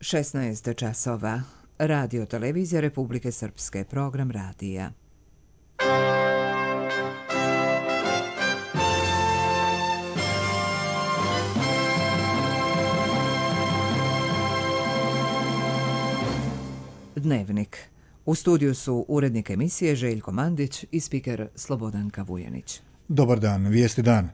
16 časova. Radio televizija Republike Srpske, program radija. Dnevnik. U studiju su urednik emisije Željko Mandić i spiker Slobodanka Vujanić. Dobar dan, vijesti dan.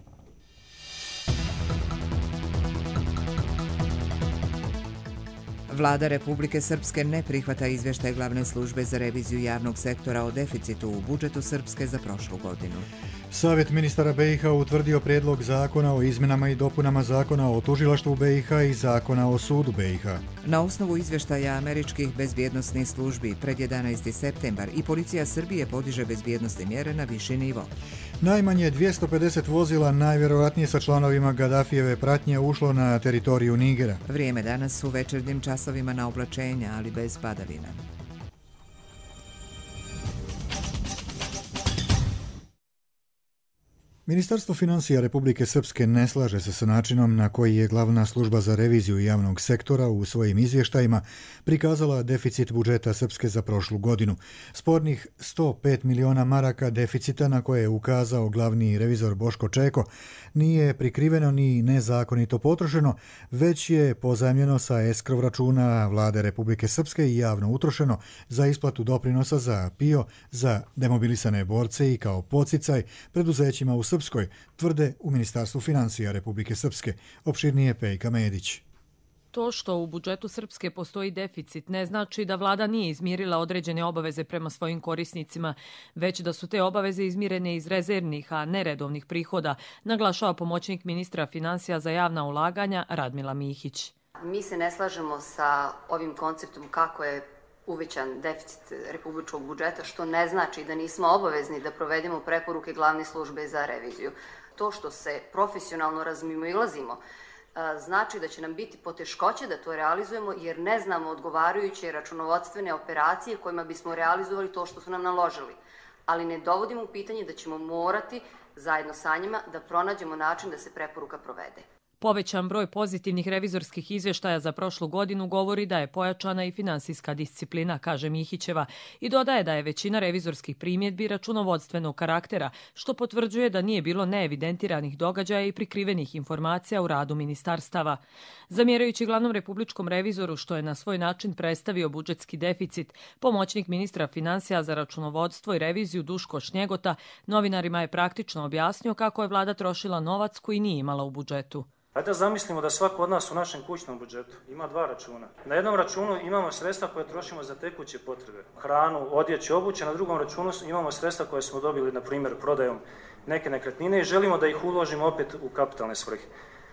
Vlada Republike Srpske ne prihvata izvještaj Glavne službe za reviziju javnog sektora o deficitu u budžetu Srpske za prošlu godinu. Savjet ministara BiH utvrdio prijedlog zakona o izmjenama i dopunama zakona o tužilaštvu BiH i zakona o sudu BiH. Na osnovu izvještaja američkih bezbjednosnih službi pred 11. septembar i policija Srbije podiže bezbjednosne mjere na viši nivo. Najmanje 250 vozila, najvjerojatnije sa članovima Gadafijeve pratnje, ušlo na teritoriju Nigera. Vrijeme danas u večernjim časovima na oblačenja, ali bez padavina. Ministarstvo financija Republike Srpske ne slaže se sa načinom na koji je Glavna služba za reviziju javnog sektora u svojim izvještajima prikazala deficit budžeta Srpske za prošlu godinu. Spornih 105 miliona maraka deficita na koje je ukazao glavni revizor Boško Čeko nije prikriveno ni nezakonito potrošeno, već je pozajmljeno sa eskrov računa Vlade Republike Srpske i javno utrošeno za isplatu doprinosa za PIO za demobilisane borce i kao podsticaj preduzećima u Srpskoj, tvrde u Ministarstvu financija Republike Srpske. Opširnije Pejka Medić. To što u budžetu Srpske postoji deficit ne znači da vlada nije izmirila određene obaveze prema svojim korisnicima, već da su te obaveze izmirene iz rezervnih, a ne redovnih prihoda, naglašava pomoćnik ministra financija za javna ulaganja Radmila Mihić. Mi se ne slažemo sa ovim konceptom kako je uvećan deficit republičkog budžeta, što ne znači da nismo obavezni da provedemo preporuke Glavne službe za reviziju. To što se profesionalno razmimoilazimo znači da će nam biti poteškoće da to realizujemo jer ne znamo odgovarajuće računovodstvene operacije kojima bismo realizovali to što su nam naložili. Ali ne dovodimo u pitanje da ćemo morati zajedno sa njima da pronađemo način da se preporuka provede. Povećan broj pozitivnih revizorskih izvještaja za prošlu godinu govori da je pojačana i finansijska disciplina, kaže Mihićeva, i dodaje da je većina revizorskih primjedbi računovodstvenog karaktera, što potvrđuje da nije bilo neevidentiranih događaja i prikrivenih informacija u radu ministarstava. Zamjerajući glavnom republičkom revizoru što je na svoj način predstavio budžetski deficit, pomoćnik ministra financija za računovodstvo i reviziju Duško Šnjegota novinarima je praktično objasnio kako je vlada trošila novac koji nije imala u budžetu. Hajde da zamislimo da svako od nas u našem kućnom budžetu ima dva računa. Na jednom računu imamo sredstva koje trošimo za tekuće potrebe, hranu, odjeću, obuće, na drugom računu imamo sredstva koje smo dobili, na primjer, prodajom neke nekretnine i želimo da ih uložimo opet u kapitalne svrhe.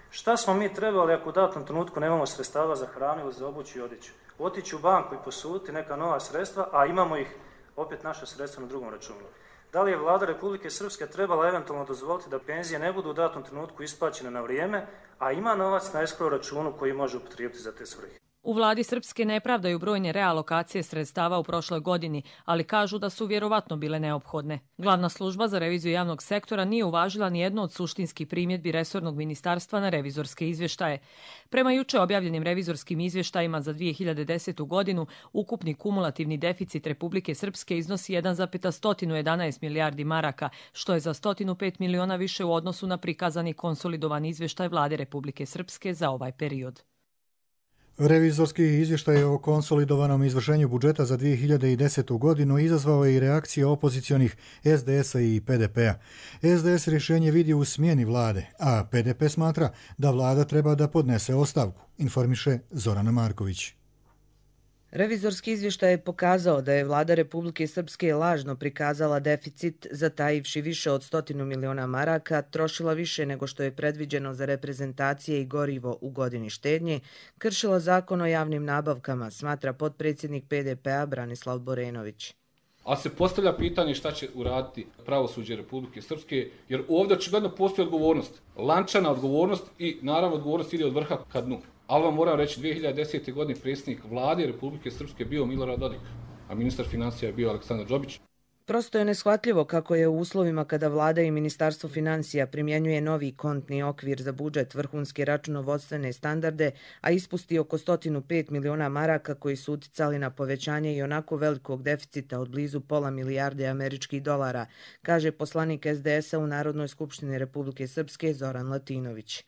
Šta smo mi trebali ako u datom trenutku nemamo sredstava za hranu ili za obuću i odjeću? Otići u banku i posuditi neka nova sredstva, a imamo ih opet naše sredstva na drugom računu. Da li je vlada Republike Srpske trebala eventualno dozvoliti da penzije ne budu u datom trenutku isplaćene na vrijeme, a ima novac na escrow računu koji može upotrijebiti za te svrhe? U vladi Srpske ne pravdaju brojne realokacije sredstava u prošloj godini, ali kažu da su vjerovatno bile neophodne. Glavna služba za reviziju javnog sektora nije uvažila ni jednu od suštinskih primjedbi resornog ministarstva na revizorske izvještaje. Prema juče objavljenim revizorskim izvještajima za 2010. godinu, ukupni kumulativni deficit Republike Srpske iznosi 1,111 milijardi maraka, što je za 105 miliona više u odnosu na prikazani konsolidovani izvještaj vlade Republike Srpske za ovaj period. Revizorski izvještaj o konsolidovanom izvršenju budžeta za 2010. godinu izazvao je i reakcije opozicionih SDS-a i PDP-a. SDS rješenje vidi u smjeni vlade, a PDP smatra da vlada treba da podnese ostavku, informiše Zorana Marković. Revizorski izvještaj je pokazao da je vlada Republike Srpske lažno prikazala deficit, zatajivši više od 100 miliona maraka, trošila više nego što je predviđeno za reprezentacije i gorivo u godini štednje, kršila zakon o javnim nabavkama, smatra potpredsjednik PDP-a Branislav Borenović. Ali se postavlja pitanje šta će uraditi pravosuđe Republike Srpske, jer ovdje očigledno postoji odgovornost, lančana odgovornost i naravno odgovornost ide od vrha ka dnu. Ali vam moram reći, 2010. godine predsjednik vlade Republike Srpske bio Milorad Dodik, a ministar financija je bio Aleksandar Đobić. Prosto je neshvatljivo kako je u uslovima kada vlada i Ministarstvo financija primjenjuje novi kontni okvir za budžet, vrhunske računovodstvene standarde, a ispusti oko 105 miliona maraka koji su uticali na povećanje i onako velikog deficita od blizu pola milijarde američkih dolara, kaže poslanik SDS-a u Narodnoj skupštini Republike Srpske Zoran Latinović.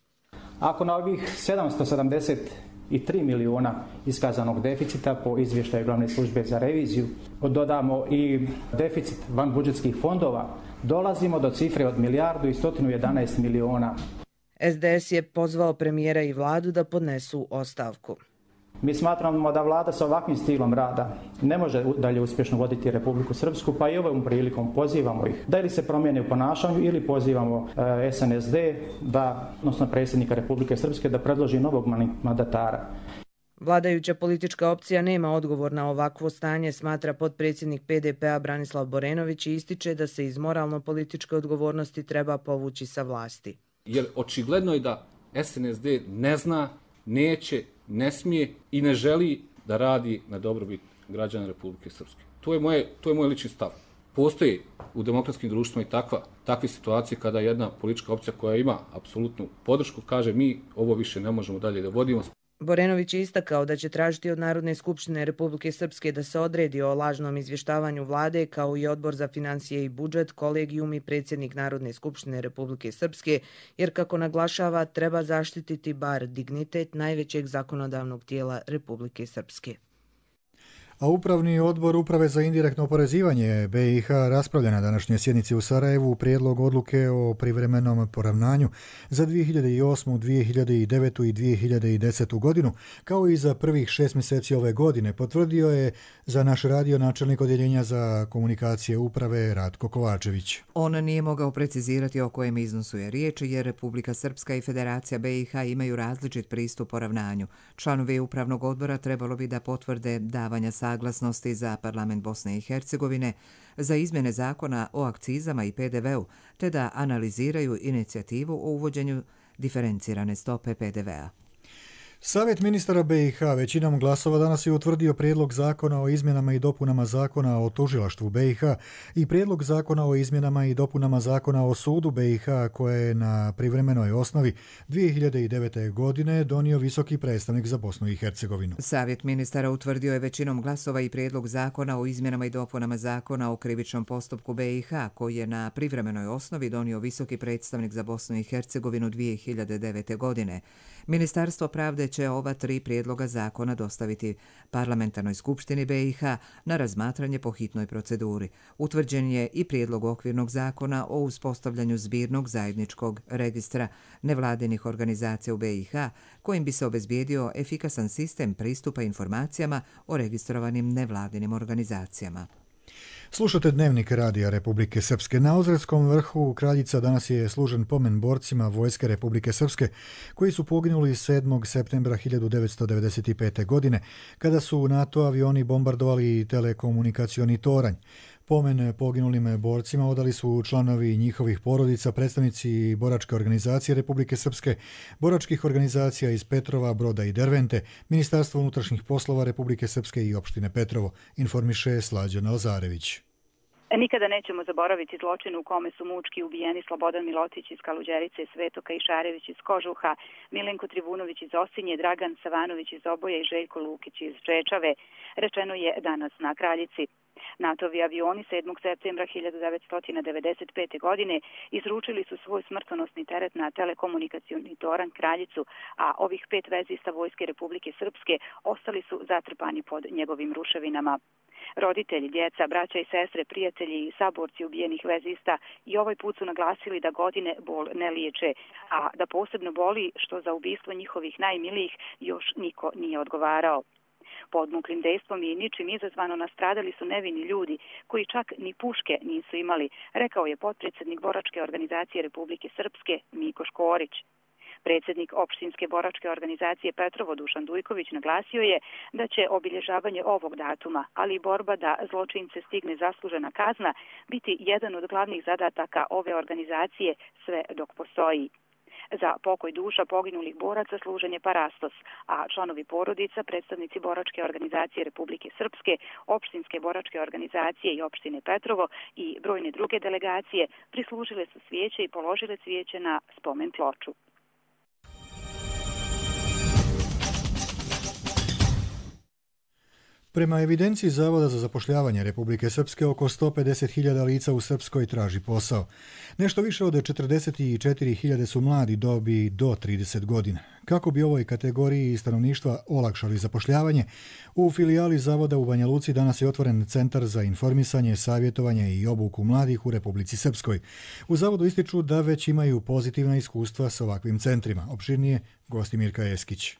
Ako na ovih 773 miliona iskazanog deficita po izvještaju Glavne službe za reviziju dodamo i deficit vanbudžetskih fondova, dolazimo do cifre od milijardu i 111 miliona. SDS je pozvao premijera i vladu da podnesu ostavku. Mi smatramo da vlada sa ovakvim stilom rada ne može dalje uspješno voditi Republiku Srpsku, pa i ovom prilikom pozivamo ih da ili se promijene u ponašanju ili pozivamo SNSD, odnosno predsjednika Republike Srpske, da predloži novog mandatara. Vladajuća politička opcija nema odgovor na ovakvo stanje, smatra potpredsjednik PDP-a Branislav Borenović i ističe da se iz moralno-političke odgovornosti treba povući sa vlasti. Jer očigledno je da SNSD ne zna, neće, ne smije i ne želi da radi na dobrobit građana Republike Srpske. To je moj lični stav. Postoji u demokratskim društvima i takve situacije kada jedna politička opcija koja ima apsolutnu podršku kaže mi ovo više ne možemo dalje da vodimo. Borenović je istakao da će tražiti od Narodne skupštine Republike Srpske da se odredi o lažnom izvještavanju vlade, kao i Odbor za financije i budžet, kolegijum i predsjednik Narodne skupštine Republike Srpske, jer kako naglašava treba zaštititi bar dignitet najvećeg zakonodavnog tijela Republike Srpske. A Upravni odbor Uprave za indirektno oporezivanje BiH raspravlja na današnjoj sjednici u Sarajevu prijedlog odluke o privremenom poravnanju za 2008., 2009. i 2010. godinu, kao i za prvih 6 mjeseci ove godine, potvrdio je za naš radio načelnik odjeljenja za komunikacije uprave Ratko Kovačević. On nije mogao precizirati o kojem iznosu je riječ, jer Republika Srpska i Federacija BiH imaju različit pristup poravnanju. Članovi Upravnog odbora trebalo bi da potvrde davanja saglasnosti za parlament Bosne i Hercegovine za izmjene zakona o akcizama i PDV-u, te da analiziraju inicijativu o uvođenju diferencirane stope PDV-a. Savjet ministara BiH većinom glasova danas je utvrdio prijedlog zakona o izmjenama i dopunama zakona o tužilaštvu BiH i prijedlog zakona o izmjenama i dopunama zakona o sudu BiH koje je na privremenoj osnovi 2009. godine donio visoki predstavnik za Bosnu i Hercegovinu. Savjet ministara utvrdio je većinom glasova i prijedlog zakona o izmjenama i dopunama zakona o krivičnom postupku BiH koji je na privremenoj osnovi donio visoki predstavnik za Bosnu i Hercegovinu 2009. godine. Ministarstvo pravde će ova 3 prijedloga zakona dostaviti Parlamentarnoj skupštini BiH na razmatranje po hitnoj proceduri. Utvrđen je i prijedlog okvirnog zakona o uspostavljanju zbirnog zajedničkog registra nevladinih organizacija u BiH, kojim bi se obezbijedio efikasan sistem pristupa informacijama o registrovanim nevladinim organizacijama. Slušate Dnevnik Radija Republike Srpske. Na Ozretskom vrhu Kraljica danas je služen pomen borcima Vojske Republike Srpske koji su poginuli 7. septembra 1995. godine kada su NATO avioni bombardovali telekomunikacioni toranj. Pomen poginulim borcima odali su članovi njihovih porodica, predstavnici Boračke organizacije Republike Srpske, boračkih organizacija iz Petrova, Broda i Dervente, Ministarstvo unutrašnjih poslova Republike Srpske i opštine Petrovo, informiše Slađana Lazarević. Nikada nećemo zaboraviti zločin u kome su mučki ubijeni Slobodan Milotić iz Kaluđerice, Sveto Kajšarević iz Kožuha, Milenko Trivunović iz Osinje, Dragan Savanović iz Oboja i Željko Lukić iz Čečave, rečeno je danas na Kraljici. NATO-vi avioni 7. septembra 1995. godine izručili su svoj smrtonosni teret na telekomunikacioni toranj Kraljicu, a ovih 5 vezista Vojske Republike Srpske ostali su zatrpani pod njegovim ruševinama. Roditelji, djeca, braća i sestre, prijatelji i saborci ubijenih vezista i ovaj put su naglasili da godine bol ne liječe, a da posebno boli što za ubistvo njihovih najmilijih još niko nije odgovarao. Podmuklim dejstvom i ničim izazvano nastradali su nevini ljudi koji čak ni puške nisu imali, rekao je potpredsjednik Boračke organizacije Republike Srpske Miko Škorić. Predsjednik opštinske boračke organizacije Petrovo Dušan Dujković naglasio je da će obilježavanje ovog datuma, ali i borba da zločince stigne zaslužena kazna, biti jedan od glavnih zadataka ove organizacije sve dok postoji. Za pokoj duša poginulih boraca služen je parastos, a članovi porodica, predstavnici boračke organizacije Republike Srpske, opštinske boračke organizacije i opštine Petrovo i brojne druge delegacije prislužile su svijeće i položile cvijeće na spomen ploču. Prema evidenciji Zavoda za zapošljavanje Republike Srpske, oko 150.000 lica u Srpskoj traži posao. Nešto više od 44.000 su mladi dobi do 30 godina. Kako bi ovoj kategoriji stanovništva olakšali zapošljavanje, u filijali Zavoda u Banja Luci danas je otvoren Centar za informisanje, savjetovanje i obuku mladih u Republici Srpskoj. U Zavodu ističu da već imaju pozitivna iskustva s ovakvim centrima. Opširnije gosti Mirka Eskić.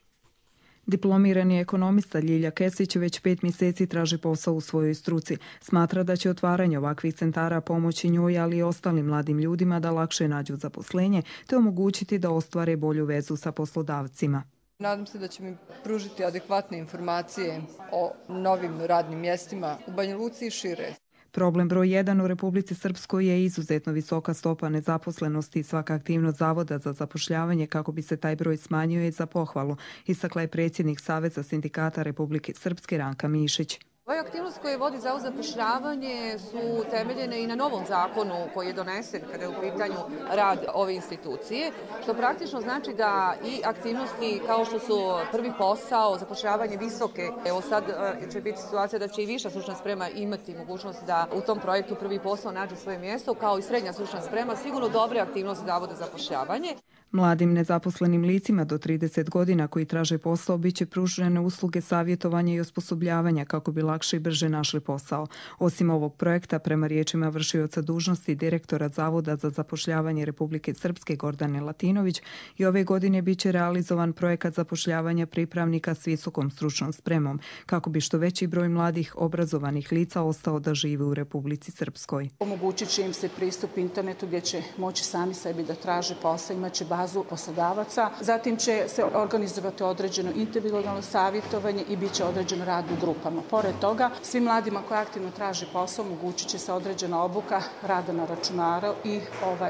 Diplomirani ekonomista Ljilja Kesić već 5 mjeseci traži posao u svojoj struci. Smatra da će otvaranje ovakvih centara pomoći njoj, ali i ostalim mladim ljudima da lakše nađu zaposlenje te omogućiti da ostvare bolju vezu sa poslodavcima. Nadam se da će mi pružiti adekvatne informacije o novim radnim mjestima u Banja Luci i šire. Problem broj 1 u Republici Srpskoj je izuzetno visoka stopa nezaposlenosti i svaka aktivnost Zavoda za zapošljavanje kako bi se taj broj smanjio je za pohvalu, istakla je predsjednik Saveza sindikata Republike Srpske Ranka Mišić. Ove aktivnosti koje vodi Zavod za zapošljavanje su temeljene i na novom zakonu koji je donesen kada je u pitanju rad ove institucije, što praktično znači da i aktivnosti kao što su prvi posao, zapošljavanje visoke, evo sad će biti situacija da će i viša stručna sprema imati mogućnost da u tom projektu prvi posao nađe svoje mjesto, kao i srednja stručna sprema, sigurno dobre aktivnosti Zavoda za zapošljavanje. Mladim nezaposlenim licima do 30 godina koji traže posao biće pružene usluge savjetovanja i osposobljavanja kako bi lakše i brže našli posao. Osim ovog projekta, prema riječima vršioca dužnosti direktora Zavoda za zapošljavanje Republike Srpske Gordane Latinović, i ove godine biće realizovan projekat zapošljavanja pripravnika s visokom stručnom spremom kako bi što veći broj mladih obrazovanih lica ostao da žive u Republici Srpskoj. Omogućit će im se pristup internetu gdje će moći sami sebi da traže posao, imaće bazu poslodavaca. Zatim će se organizovati određeno individualno savjetovanje i bit će određen rad u grupama. Pored toga, svim mladima koji aktivno traže posao omogućit će se određena obuka rada na računaru i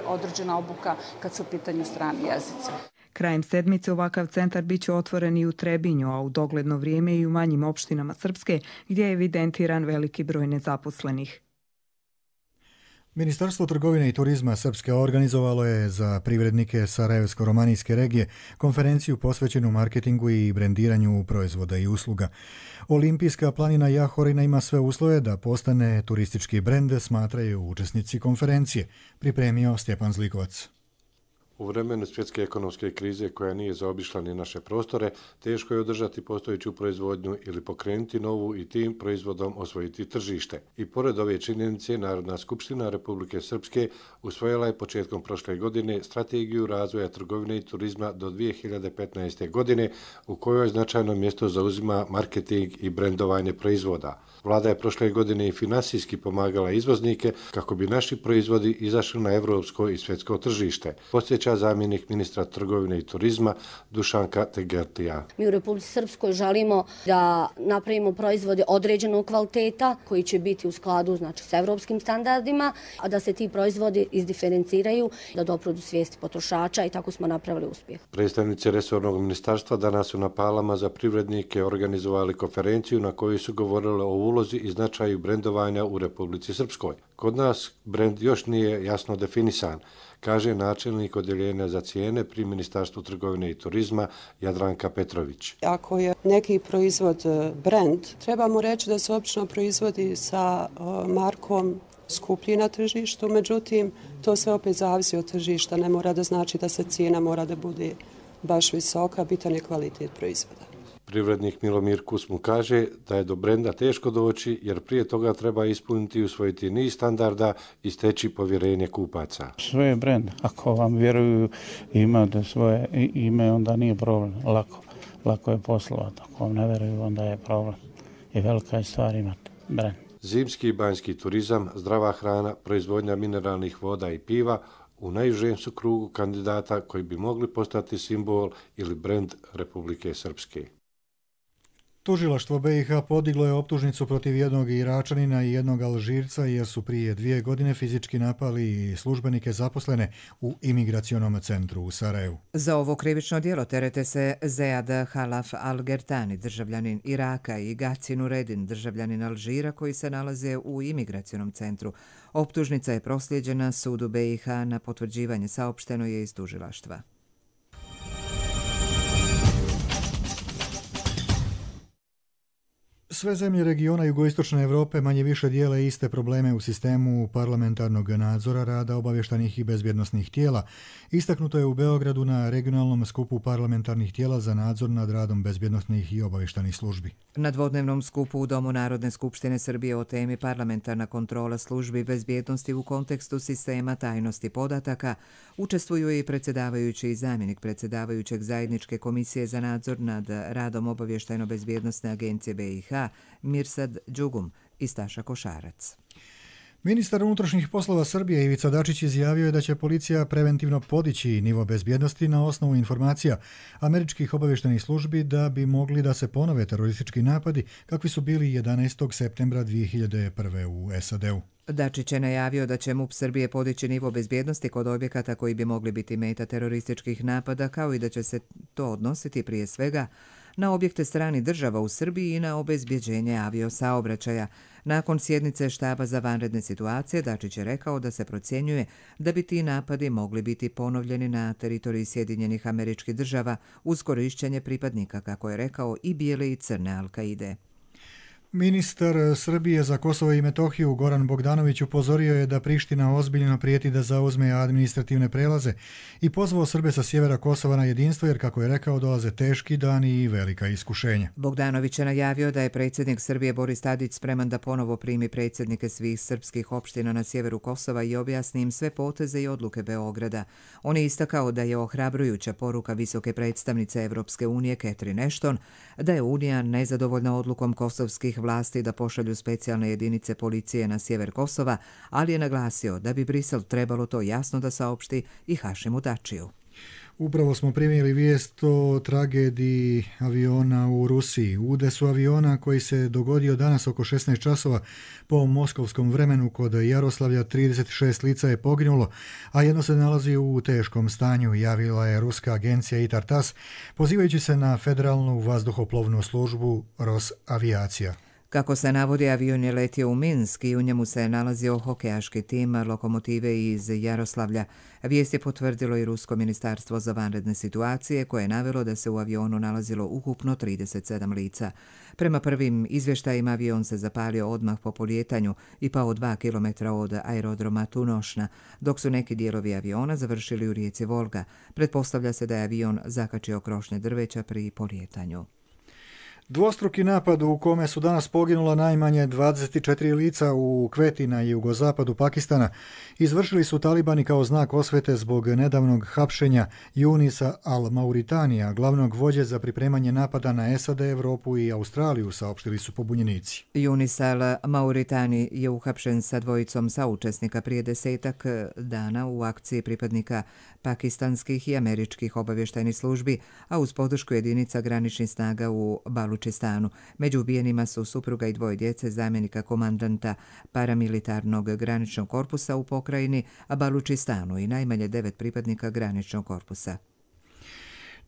određena obuka kad su u pitanju strani jezici. Krajem sedmice ovakav centar biće otvoren i u Trebinju, a u dogledno vrijeme i u manjim opštinama Srpske, gdje je evidentiran veliki broj nezaposlenih. Ministarstvo trgovine i turizma Srpske organizovalo je za privrednike Sarajevsko-romanijske regije konferenciju posvećenu marketingu i brendiranju proizvoda i usluga. Olimpijska planina Jahorina ima sve uslove da postane turistički brend, smatraju učesnici konferencije, pripremio Stjepan Zlikovac. U vremenu svjetske ekonomske krize koja nije zaobišla ni naše prostore, teško je održati postojeću proizvodnju ili pokrenuti novu i tim proizvodom osvojiti tržište. I pored ove činjenice, Narodna skupština Republike Srpske usvojila je početkom prošle godine strategiju razvoja trgovine i turizma do 2015. godine, u kojoj značajno mjesto zauzima marketing i brendovanje proizvoda. Vlada je prošle godine i finansijski pomagala izvoznike kako bi naši proizvodi izašli na evropsko i svjetsko tržište. Podsjeća zamjenik ministra trgovine i turizma Dušanka Tegertija. Mi u Republici Srpskoj želimo da napravimo proizvode određenog kvaliteta koji će biti u skladu s evropskim standardima, a da se ti proizvodi izdiferenciraju, da dopru do svijesti potrošača i tako smo napravili uspjeh. Predstavnici resornog ministarstva danas su na Palama za privrednike organizovali konferenciju na kojoj su govorili o ulozi i značaju brendovanja u Republici Srpskoj. Kod nas brend još nije jasno definisan, kaže načelnik odjeljenja za cijene pri Ministarstvu trgovine i turizma Jadranka Petrović. Ako je neki proizvod brend, trebamo reći da se obično proizvodi sa markom skuplji na tržištu, međutim to sve opet zavisi od tržišta, ne mora da znači da se cijena mora da bude baš visoka, bitan je kvalitet proizvoda. Privrednik Milomir Kus mu kaže da je do brenda teško doći jer prije toga treba ispuniti i usvojiti niz standarda i steći povjerenje kupaca. Sve je brend. Ako vam vjeruju imate svoje ime, onda nije problem. Lako je poslovati. Ako vam ne vjeruju, onda je problem. I velika je stvar imati brend. Zimski i banjski turizam, zdrava hrana, proizvodnja mineralnih voda i piva u najužem su krugu kandidata koji bi mogli postati simbol ili brend Republike Srpske. Tužilaštvo BiH podiglo je optužnicu protiv jednog Iračanina i jednog Alžirca jer su prije 2 godine fizički napali službenike zaposlene u imigracionom centru u Sarajevu. Za ovo krivično djelo terete se Zead Halaf Al-Gertani, državljanin Iraka, i Gaci Nuredin, državljanin Alžira, koji se nalaze u imigracionom centru. Optužnica je proslijeđena sudu BiH na potvrđivanje, saopšteno je iz tužilaštva. Sve zemlje regiona jugoistočne Evrope manje više dijele iste probleme u sistemu parlamentarnog nadzora rada obavještajnih i bezbjednosnih tijela. Istaknuto je u Beogradu na regionalnom skupu parlamentarnih tijela za nadzor nad radom bezbjednosnih i obavještajnih službi. Na dvodnevnom skupu u Domu Narodne skupštine Srbije o temi parlamentarna kontrola službi bezbjednosti u kontekstu sistema tajnosti podataka učestvuju i predsjedavajući i zamjenik predsjedavajućeg zajedničke komisije za nadzor nad radom obavještajno-bezbjednosne agencije BiH Mirsad Đugum i Staša Košarac. Ministar unutrašnjih poslova Srbije Ivica Dačić izjavio je da će policija preventivno podići nivo bezbjednosti na osnovu informacija američkih obavještajnih službi da bi mogli da se ponove teroristički napadi kakvi su bili 11. septembra 2001. u SAD-u. Dačić je najavio da će MUP Srbije podići nivo bezbjednosti kod objekata koji bi mogli biti meta terorističkih napada, kao i da će se to odnositi prije svega na objekte stranih država u Srbiji i na obezbjeđenje aviosaobraćaja. Nakon sjednice štaba za vanredne situacije, Dačić je rekao da se procjenjuje da bi ti napadi mogli biti ponovljeni na teritoriji Sjedinjenih Američkih Država uz korišćenje pripadnika, kako je rekao, i bijele i crne Al-Kaide. Ministar Srbije za Kosovo i Metohiju Goran Bogdanović upozorio je da Priština ozbiljno prijeti da zauzme administrativne prelaze i pozvao Srbe sa sjevera Kosova na jedinstvo jer, kako je rekao, dolaze teški dani i velika iskušenja. Bogdanović je najavio da je predsjednik Srbije Boris Tadić spreman da ponovo primi predsjednike svih srpskih opština na sjeveru Kosova i objasni im sve poteze i odluke Beograda. On je istakao da je ohrabrujuća poruka visoke predstavnice Evropske unije Catherine Ashton da je Unija nezadovoljna odlukom kosovskih vlasti da pošalju specijalne jedinice policije na sjever Kosova, ali je naglasio da bi Brisel trebalo to jasno da saopšti i Hašimu Tačiju. Upravo smo primili vijest o tragediji aviona u Rusiji. Udesu aviona koji se dogodio danas oko 16 časova po moskovskom vremenu kod Jaroslavlja, 36 lica je poginulo, a jedno se nalazi u teškom stanju, javila je ruska agencija ITAR-TASS, pozivajući se na Federalnu vazduhoplovnu službu Rosaviacija. Kako se navodi, avion je letio u Minsk i u njemu se nalazio hokejaški tim lokomotive iz Jaroslavlja. Vijest je potvrdilo i Rusko ministarstvo za vanredne situacije, koje je navelo da se u avionu nalazilo ukupno 37 lica. Prema prvim izvještajima avion se zapalio odmah po polijetanju i pao 2 km od aerodroma Tunošna, dok su neki dijelovi aviona završili u rijeci Volga. Pretpostavlja se da je avion zakačio krošnje drveća pri polijetanju. Dvostruki napad u kome su danas poginula najmanje 24 lica u Kveti na jugozapadu Pakistana izvršili su talibani kao znak osvete zbog nedavnog hapšenja Junisa al-Mauritanija, glavnog vođe za pripremanje napada na SAD, Evropu i Australiju, saopštili su pobunjenici. Junis al-Mauritani je uhapšen sa dvojicom saučesnika prije 10 dana u akciji pripadnika pakistanskih i američkih obavještajnih službi, a uz podršku jedinica graničnih snaga u Balučistanu. Među ubijenima su supruga i 2 djece zamjenika komandanta paramilitarnog graničnog korpusa u pokrajini Balučistanu i najmanje 9 pripadnika graničnog korpusa.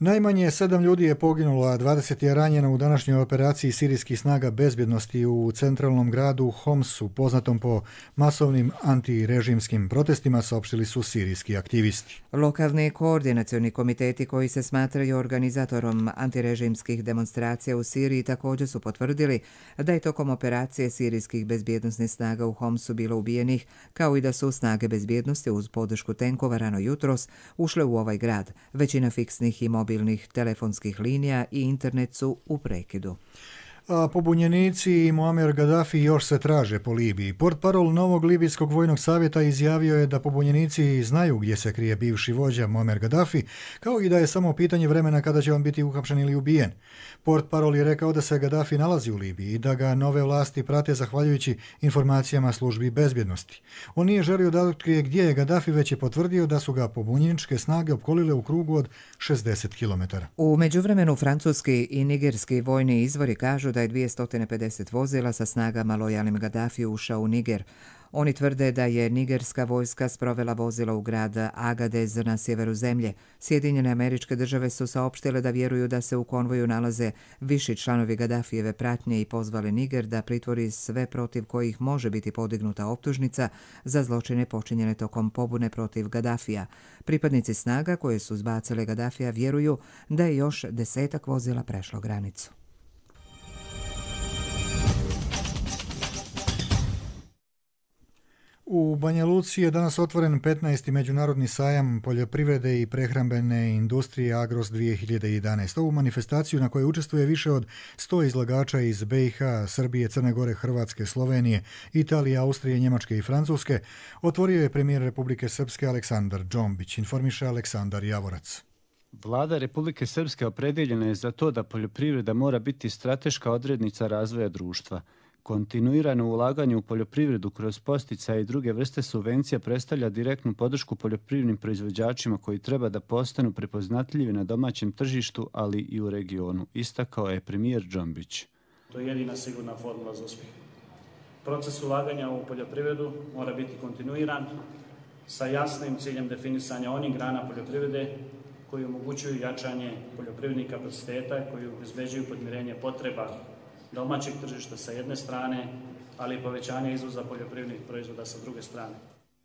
Najmanje 7 ljudi je poginulo, a 20 je ranjeno u današnjoj operaciji sirijskih snaga bezbjednosti u centralnom gradu Homsu, poznatom po masovnim antirežimskim protestima, saopštili su sirijski aktivisti. Lokalni koordinacioni komiteti koji se smatraju organizatorom antirežimskih demonstracija u Siriji također su potvrdili da je tokom operacije sirijskih bezbjednosnih snaga u Homsu bilo ubijenih, kao i da su snage bezbjednosti uz podršku tenkova rano jutros ušle u ovaj grad. Većina fiksnih i mobilnih telefonskih linija i internet su u prekidu. A pobunjenici i Muammar Gaddafi još se traže po Libiji. Portparol novog libijskog vojnog savjeta izjavio je da pobunjenici znaju gdje se krije bivši vođa Muammar Gaddafi, kao i da je samo pitanje vremena kada će on biti uhapšen ili ubijen. Portparol je rekao da se Gaddafi nalazi u Libiji i da ga nove vlasti prate zahvaljujući informacijama službi bezbjednosti. On nije želio da otkrije gdje je Gaddafi, već je potvrdio da su ga pobunjeničke snage opkolile u krugu od 60 km. U međuvremenu francuski i nigerski vojni izvori kažu da da je 250 vozila sa snagama lojalnim Gadafiju ušao u Niger. Oni tvrde da je nigerska vojska sprovela vozila u grad Agadez na sjeveru zemlje. Sjedinjene Američke Države su saopštile da vjeruju da se u konvoju nalaze viši članovi Gadafijeve pratnje i pozvali Niger da pritvori sve protiv kojih može biti podignuta optužnica za zločine počinjene tokom pobune protiv Gadafija. Pripadnici snaga koje su zbacile Gadafija vjeruju da je još 10 vozila prešlo granicu. U Banja Luci je danas otvoren 15. međunarodni sajam poljoprivrede i prehrambene industrije Agros 2011. Ovu manifestaciju na kojoj učestvuje više od 100 izlagača iz BiH, Srbije, Crne Gore, Hrvatske, Slovenije, Italije, Austrije, Njemačke i Francuske, otvorio je premijer Republike Srpske Aleksandar Džombić, informiše Aleksandar Javorac. Vlada Republike Srpske opredjeljena je za to da poljoprivreda mora biti strateška odrednica razvoja društva. Kontinuirano ulaganje u poljoprivredu kroz posticaje i druge vrste subvencija predstavlja direktnu podršku poljoprivrednim proizvođačima koji treba da postanu prepoznatljivi na domaćem tržištu, ali i u regionu, istakao je premijer Džombić. To je jedina sigurna formula za uspjeh. Proces ulaganja u poljoprivredu mora biti kontinuiran sa jasnim ciljem definisanja onih grana poljoprivrede koji omogućuju jačanje poljoprivrednih kapaciteta, koji obezbeđuju podmirenje potreba domaćeg tržišta sa jedne strane, ali i povećanje izvoza poljoprivrednih proizvoda sa druge strane.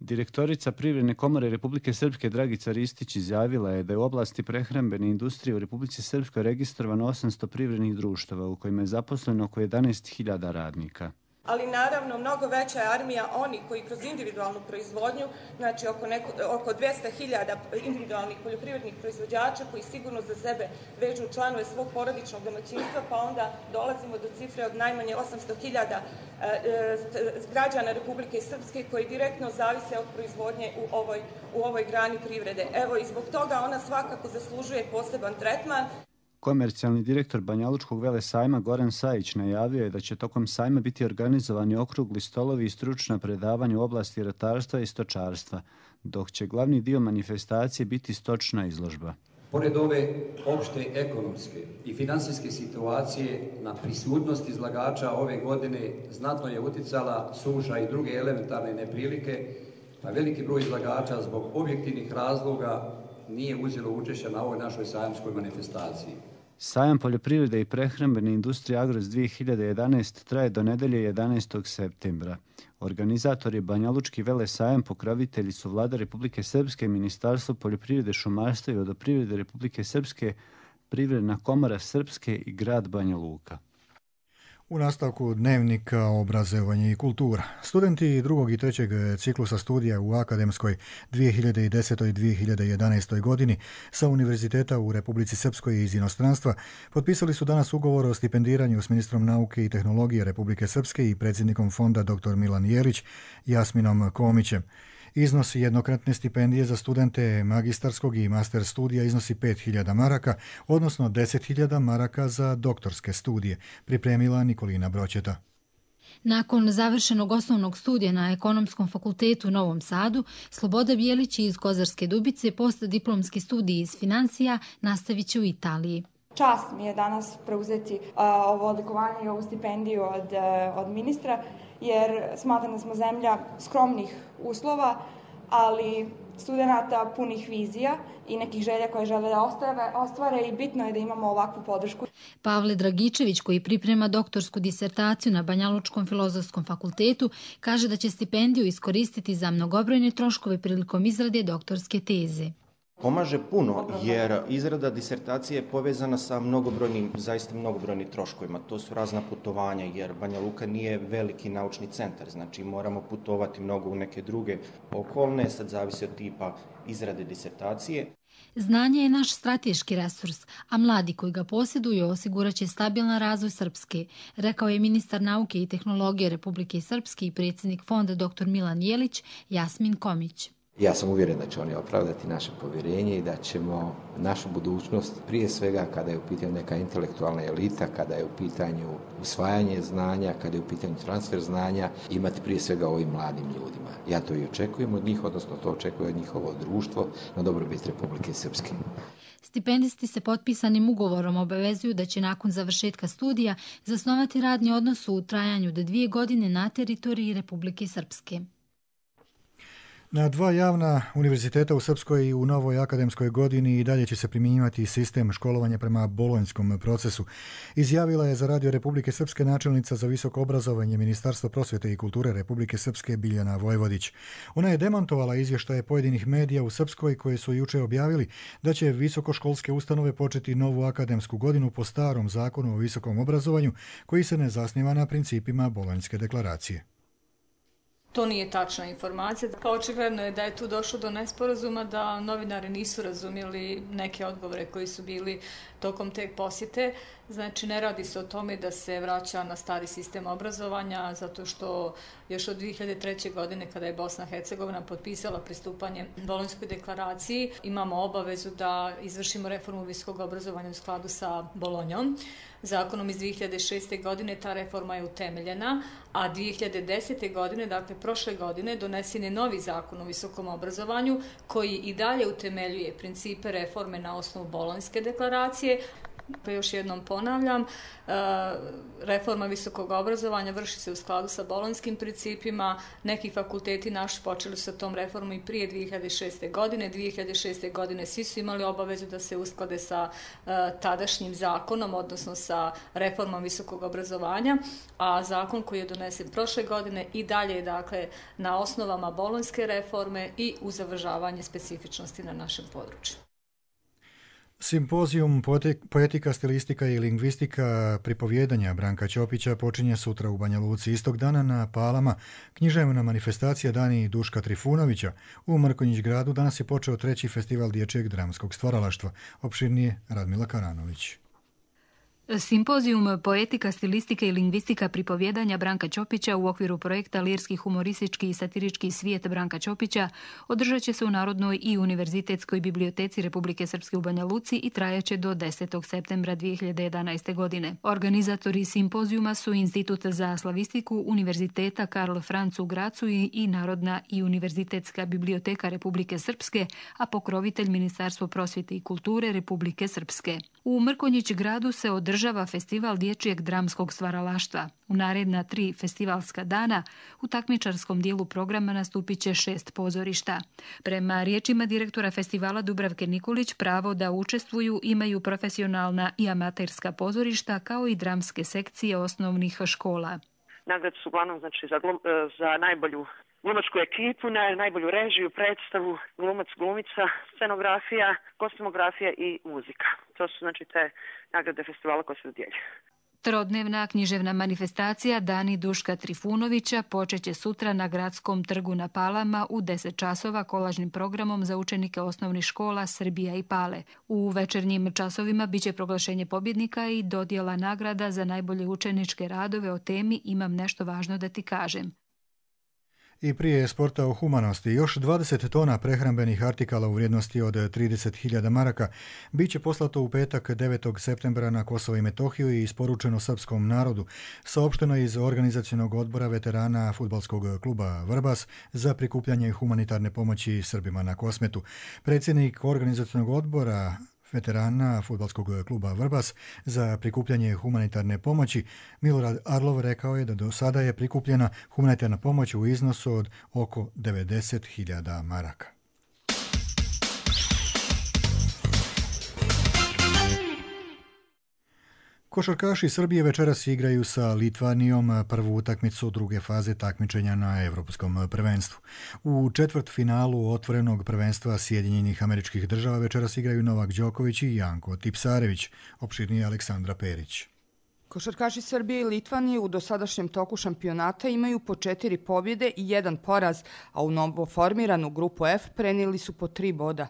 Direktorica Privredne komore Republike Srpske Dragica Ristić izjavila je da je u oblasti prehrambene industrije u Republici Srpskoj registrovano 800 privrednih društava u kojima je zaposleno oko 11.000 radnika. Ali naravno mnogo veća je armija oni koji kroz individualnu proizvodnju, znači oko 200.000 individualnih poljoprivrednih proizvođača koji sigurno za sebe vežu članove svog porodičnog domaćinstva, pa onda dolazimo do cifre od najmanje 800.000 građana Republike Srpske koji direktno zavise od proizvodnje u ovoj grani privrede. Evo i zbog toga ona svakako zaslužuje poseban tretman. Komercijalni direktor Banjalučkog velesajma Goran Sajić najavio je da će tokom sajma biti organizovani okrugli stolovi i stručna predavanja u oblasti ratarstva i stočarstva, dok će glavni dio manifestacije biti stočna izložba. Pored ove opšte ekonomske i finansijske situacije, na prisutnost izlagača ove godine znatno je uticala suša i druge elementarne neprilike, a veliki broj izlagača zbog objektivnih razloga nije uzelo učešća na ovoj našoj sajamskoj manifestaciji. Sajam poljoprivrede i prehrambene industrije Agros 2011 traje do nedelje 11. septembra. Organizator je Banjalučki velesajam, pokrovitelji su Vlada Republike Srpske, Ministarstvo poljoprivrede, šumarstva i vodoprivrede Republike Srpske, Privredna komora Srpske i grad Banja Luka. U nastavku dnevnika obrazovanje i kultura. Studenti drugog i trećeg ciklusa studija u akademskoj 2010. i 2011. godini sa univerziteta u Republici Srpskoj i iz inostranstva potpisali su danas ugovor o stipendiranju s ministrom nauke i tehnologije Republike Srpske i predsjednikom fonda dr. Milan Jelić, Jasminom Komićem. Iznos jednokratne stipendije za studente magistarskog i master studija iznosi 5.000 maraka, odnosno 10.000 maraka za doktorske studije, pripremila Nikolina Broćeta. Nakon završenog osnovnog studija na Ekonomskom fakultetu u Novom Sadu, Sloboda Bijelić iz Kozarske Dubice postdiplomski studij iz financija nastavit će u Italiji. Čast mi je danas preuzeti ovo odlikovanje i ovu stipendiju od ministra, jer smatram da smo zemlja skromnih uslova, ali studenata punih vizija i nekih želja koje žele da ostvare i bitno je da imamo ovakvu podršku. Pavle Dragičević, koji priprema doktorsku disertaciju na Banjalučkom filozofskom fakultetu, kaže da će stipendiju iskoristiti za mnogobrojne troškove prilikom izrade doktorske teze. Pomaže puno jer izrada disertacije je povezana sa zaista mnogobrojnim troškovima. To su razna putovanja jer Banja Luka nije veliki naučni centar, znači moramo putovati mnogo u neke druge okolne, sad zavisi od tipa izrade disertacije. Znanje je naš strateški resurs, a mladi koji ga posjeduju osigurat će stabilan razvoj Srpske, rekao je ministar nauke i tehnologije Republike Srpske i predsjednik fonda dr. Milan Jelić, Jasmin Komić. Ja sam uvjeren da će oni opravdati naše povjerenje i da ćemo našu budućnost, prije svega kada je u pitanju neka intelektualna elita, kada je u pitanju usvajanje znanja, kada je u pitanju transfer znanja, imati prije svega ovim mladim ljudima. Ja to i očekujem od njih, odnosno to očekuje od njihovo društvo na dobrobit Republike Srpske. Stipendisti se potpisanim ugovorom obavezuju da će nakon završetka studija zasnovati radni odnos u trajanju do 2 godine na teritoriji Republike Srpske. Na 2 javna univerziteta u Srpskoj i u novoj akademskoj godini i dalje će se primjenjivati sistem školovanja prema bolonjskom procesu. Izjavila je za Radio Republike Srpske načelnica za visoko obrazovanje Ministarstva prosvjete i kulture Republike Srpske Biljana Vojvodić. Ona je demantovala izvještaje pojedinih medija u Srpskoj koje su juče objavili da će visokoškolske ustanove početi novu akademsku godinu po starom zakonu o visokom obrazovanju koji se ne zasniva na principima Bolonjske deklaracije. To nije tačna informacija. Pa očigledno je da je tu došlo do nesporazuma, da novinari nisu razumjeli neke odgovore koji su bili tokom te posjete. Znači, ne radi se o tome da se vraća na stari sistem obrazovanja, zato što još od 2003. godine, kada je Bosna i Hercegovina potpisala pristupanje Bolonjskoj deklaraciji, imamo obavezu da izvršimo reformu visokog obrazovanja u skladu sa Bolonjom. Zakonom iz 2006. godine ta reforma je utemeljena, a 2010. godine, dakle prošle godine, donesen je novi zakon o visokom obrazovanju koji i dalje utemeljuje principe reforme na osnovu Bolonjske deklaracije. Pa još jednom ponavljam, reforma visokog obrazovanja vrši se u skladu sa bolonjskim principima. Neki fakulteti naši počeli su sa tom reformom i prije 2006. godine. 2006. godine svi su imali obavezu da se usklade sa tadašnjim zakonom, odnosno sa reformom visokog obrazovanja, a zakon koji je donesen prošle godine i dalje je dakle na osnovama bolonjske reforme i uz uvažavanje specifičnosti na našem području. Simpozijum Poetika, stilistika i lingvistika pripovjedanja Branka Ćopića počinje sutra u Banja Luci. Istog dana na Palama književna manifestacija Dani Duška Trifunovića. U Mrkonjić gradu danas je počeo 3. festival dječjeg dramskog stvaralaštva. Opširnije Radmila Karanović. Simpozijum Poetika, stilistike i lingvistika pripovjedanja Branka Ćopića u okviru projekta Lirski, humoristički i satirički svijet Branka Ćopića održat će se u Narodnoj i Univerzitetskoj biblioteci Republike Srpske u Banja Luci i trajaće do 10. septembra 2011. godine. Organizatori simpozijuma su Institut za slavistiku Univerziteta Karl Franz u Gracu i Narodna i Univerzitetska biblioteka Republike Srpske, a pokrovitelj Ministarstvo prosvjete i kulture Republike Srpske. U Mrkonjić gradu se održava festival dječjeg dramskog stvaralaštva. U naredna 3 festivalska dana u takmičarskom dijelu programa nastupit će 6 pozorišta. Prema riječima direktora festivala Dubravke Nikolić, pravo da učestvuju imaju profesionalna i amaterska pozorišta kao i dramske sekcije osnovnih škola. Nagrade su uglavnom za najbolju glumačku ekipu, najbolju režiju, predstavu, glumac, glumica, scenografija, kostumografija i muzika. To su te nagrade festivala koje se dodjeljuju. Trodnevna književna manifestacija Dani Duška Trifunovića počeće sutra na Gradskom trgu na Palama u 10 časova kolažnim programom za učenike osnovnih škola Srbija i Pale. U večernjim časovima biće proglašenje pobjednika i dodjela nagrada za najbolje učeničke radove o temi Imam nešto važno da ti kažem. I prije sporta o humanosti, još 20 tona prehrambenih artikala u vrijednosti od 30.000 maraka bit će poslato u petak 9. septembra na Kosovo i Metohiju i isporučeno srpskom narodu, saopšteno iz organizacionog odbora veterana fudbalskog kluba Vrbas za prikupljanje humanitarne pomoći Srbima na Kosmetu. Predsjednik organizacionog odbora veterana fudbalskog kluba Vrbas za prikupljanje humanitarne pomoći Milorad Arlov rekao je da do sada je prikupljena humanitarna pomoć u iznosu od oko 90.000 maraka. Košarkaši Srbije večeras igraju sa Litvanijom prvu utakmicu druge faze takmičenja na Evropskom prvenstvu. U četvrtfinalu otvorenog prvenstva Sjedinjenih Američkih Država večeras igraju Novak Đoković i Janko Tipsarević, opširnije Aleksandra Perić. Košarkaši Srbije i Litvanije u dosadašnjem toku šampionata imaju po 4 pobjede i 1 poraz, a u novoformiranu grupu F prenijeli su po 3 boda.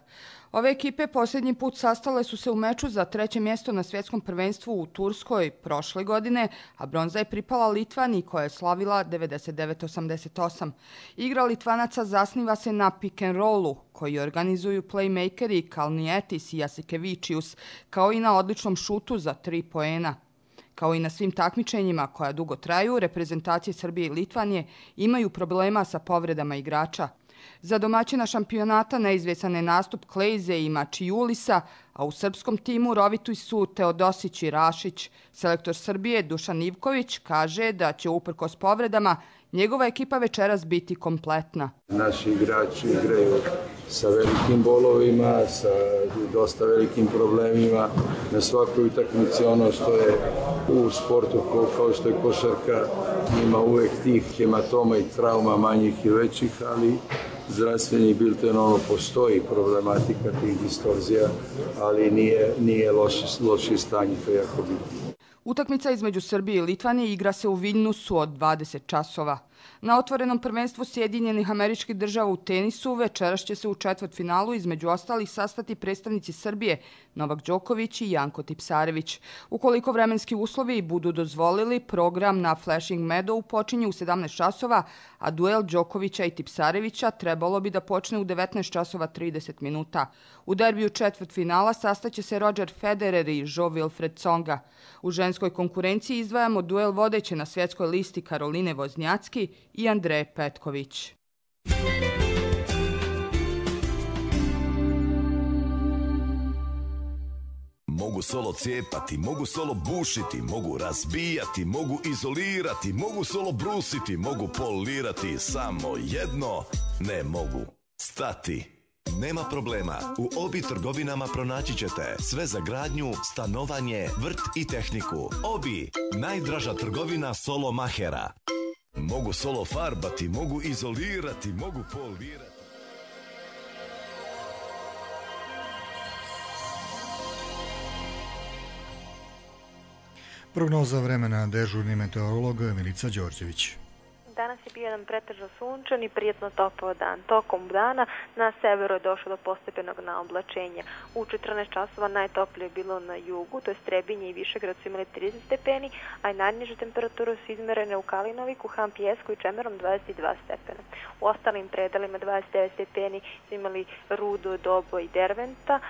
Ove ekipe posljednji put sastale su se u meču za 3. mjesto na svjetskom prvenstvu u Turskoj prošle godine, a bronza je pripala Litvaniji koja je slavila 99-88. Igra Litvanaca zasniva se na pick and rollu koji organizuju playmakeri Kalnietis i Jasikevičius, kao i na odličnom šutu za 3 poena. Kao i na svim takmičenjima koja dugo traju, reprezentacije Srbije i Litvanije imaju problema sa povredama igrača. Za domaćina šampionata neizvjesan je nastup Klejze i Mačijulisa, a u srpskom timu rovituj su Teodosić i Rašić. Selektor Srbije Dušan Ivković kaže da će uprkos povredama njegova ekipa večeras biti kompletna. Naši igrači igraju sa velikim bolovima, sa dosta velikim problemima. Na svakoj utakmici ono što je u sportu kao što je košarka, ima uvek tih hematoma i trauma manjih i većih, ali zdravstveni bilten, postoji problematika tih distorzija, ali nije loše stanje, to je jako bitno. Utakmica između Srbije i Litvanije igra se u Viljnusu od 20 časova. Na otvorenom prvenstvu Sjedinjenih Američkih Država u tenisu večeras će se u četvrtfinalu između ostalih sastati predstavnici Srbije Novak Đoković i Janko Tipsarević. Ukoliko vremenski uslovi budu dozvolili, program na Flushing Meadow počinje u 17 časova, a duel Đokovića i Tipsarevića trebalo bi da počne u 19 časova 30 minuta. U derbiju četvrtfinala sastaće se Roger Federer i Jo-Wilfried Tsonga. U ženskoj konkurenciji izdvajamo duel vodeće na svjetskoj listi Karoline Voznjacki i Andreje Petković. Mogu solo cijepati, mogu solo bušiti, mogu razbijati, mogu izolirati, mogu solo brusiti, mogu polirati, samo jedno ne mogu stati. Nema problema, u Obi trgovinama pronaći ćete sve za gradnju, stanovanje, vrt i tehniku. Obi, najdraža trgovina solo mahera. Mogu solo farbati, mogu izolirati, mogu polirati. Prognoza vremena dežurni meteorolog Milica Đorđević. Danas je bio jedan pretežno sunčan i prijetno topao dan. Tokom dana na severu je došlo do postepenog naoblačenja. U 14 časova najtoplije je bilo na jugu, to je Trebinje i Višegrad su imali 30 stepeni, a i najniže temperature su izmerene u Kalinoviku, Hampijesku i Čemerom 22 stepena. U ostalim predelima 29 stepeni su imali Rudo, Dobo i Derventa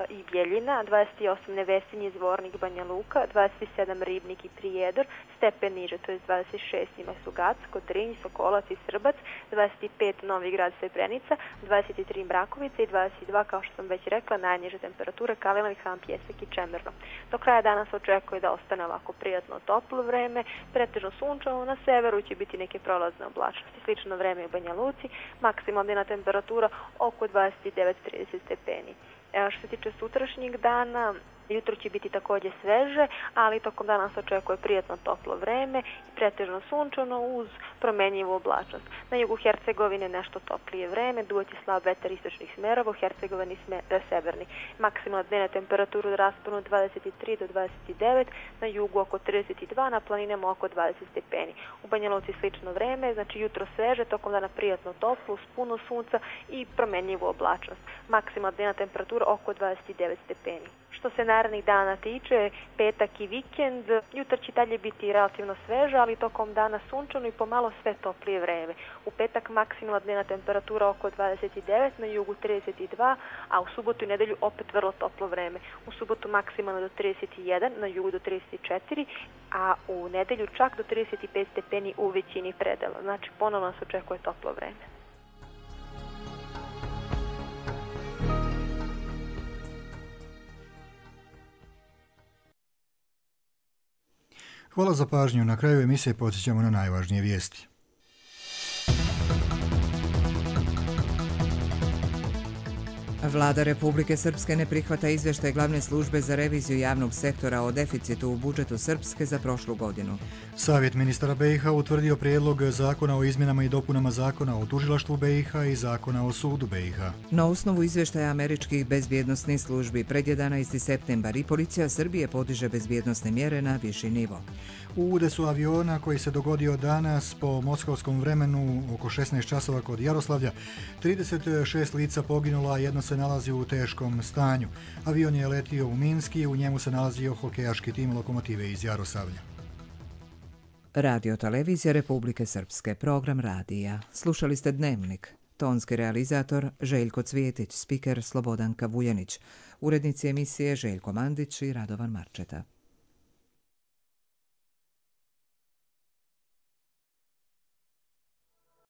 i Bjeljina, 28 Nevesinje, Zvornik, Banja Luka, 27 Ribnik i Prijedor, stepen niže, to je 26 ima Sugacko, Drinj, Sokolac i Srbac, 25 Novi Grad, Srebrenica, 23 Mrakovica i 22, kao što sam već rekla, najniže temperature Kalinovik, Hampijesak i Čemerno. Do kraja dana se očekuje da ostane ovako prijatno toplo vreme, pretežno sunčano, na severu će biti neke prolazne oblačnosti, slično vreme u Banja Luci, maksimalna temperatura oko 29-30 stepeni. Što se tiče sutrašnjeg dana, jutro će biti također sveže, ali tokom dana se očekuje prijatno toplo vreme i pretežno sunčano uz promenjivu oblačnost. Na jugu Hercegovine nešto toplije vreme, duvaće slab vetar istočnih smerova, u Hercegovini severni. Maksimalna dnevna temperatura u rasponu 23 do 29, na jugu oko 32, na planinama oko 20 stepeni. U Banja Luci slično vreme, znači jutro sveže, tokom dana prijatno toplo, uz puno sunca i promenjivu oblačnost. Maksimalna dnevna temperatura oko 29 stepeni. Što se narednih dana tiče, petak i vikend, jutar će dalje biti relativno sveže, ali tokom dana sunčano i pomalo sve toplije vreme. U petak maksimalna dnevna temperatura oko 29, na jugu 32, a u subotu i nedelju opet vrlo toplo vreme. U subotu maksimalno do 31, na jugu do 34, a u nedelju čak do 35 stepeni u većini predela. Znači ponovno se očekuje toplo vreme. Hvala za pažnju. Na kraju emisije podsjećamo na najvažnije vijesti. Vlada Republike Srpske ne prihvata izvještaj glavne službe za reviziju javnog sektora o deficitu u budžetu Srpske za prošlu godinu. Savjet ministara BiH utvrdio prijedlog zakona o izmjenama i dopunama zakona o tužilaštvu BiH i zakona o sudu BiH. Na osnovu izvještaja američkih bezbjednosnih službi pred 11. septembar i policija Srbije podiže bezbjednosne mjere na viši nivo. U udesu aviona koji se dogodio danas po moskovskom vremenu oko 16 časova kod Jaroslavlja, 36 lica poginula, a jedno se nalazi u teškom stanju. Avion je letio u Minsk i u njemu se nalazio hokejaški tim Lokomotive iz Jaroslavlja. Radio Televizija Republike Srpske, program radija. Slušali ste Dnevnik. Tonski realizator Željko Cvijetić, spiker Slobodanka Vuljanić, urednici emisije Željko Mandić i Radovan Marčeta.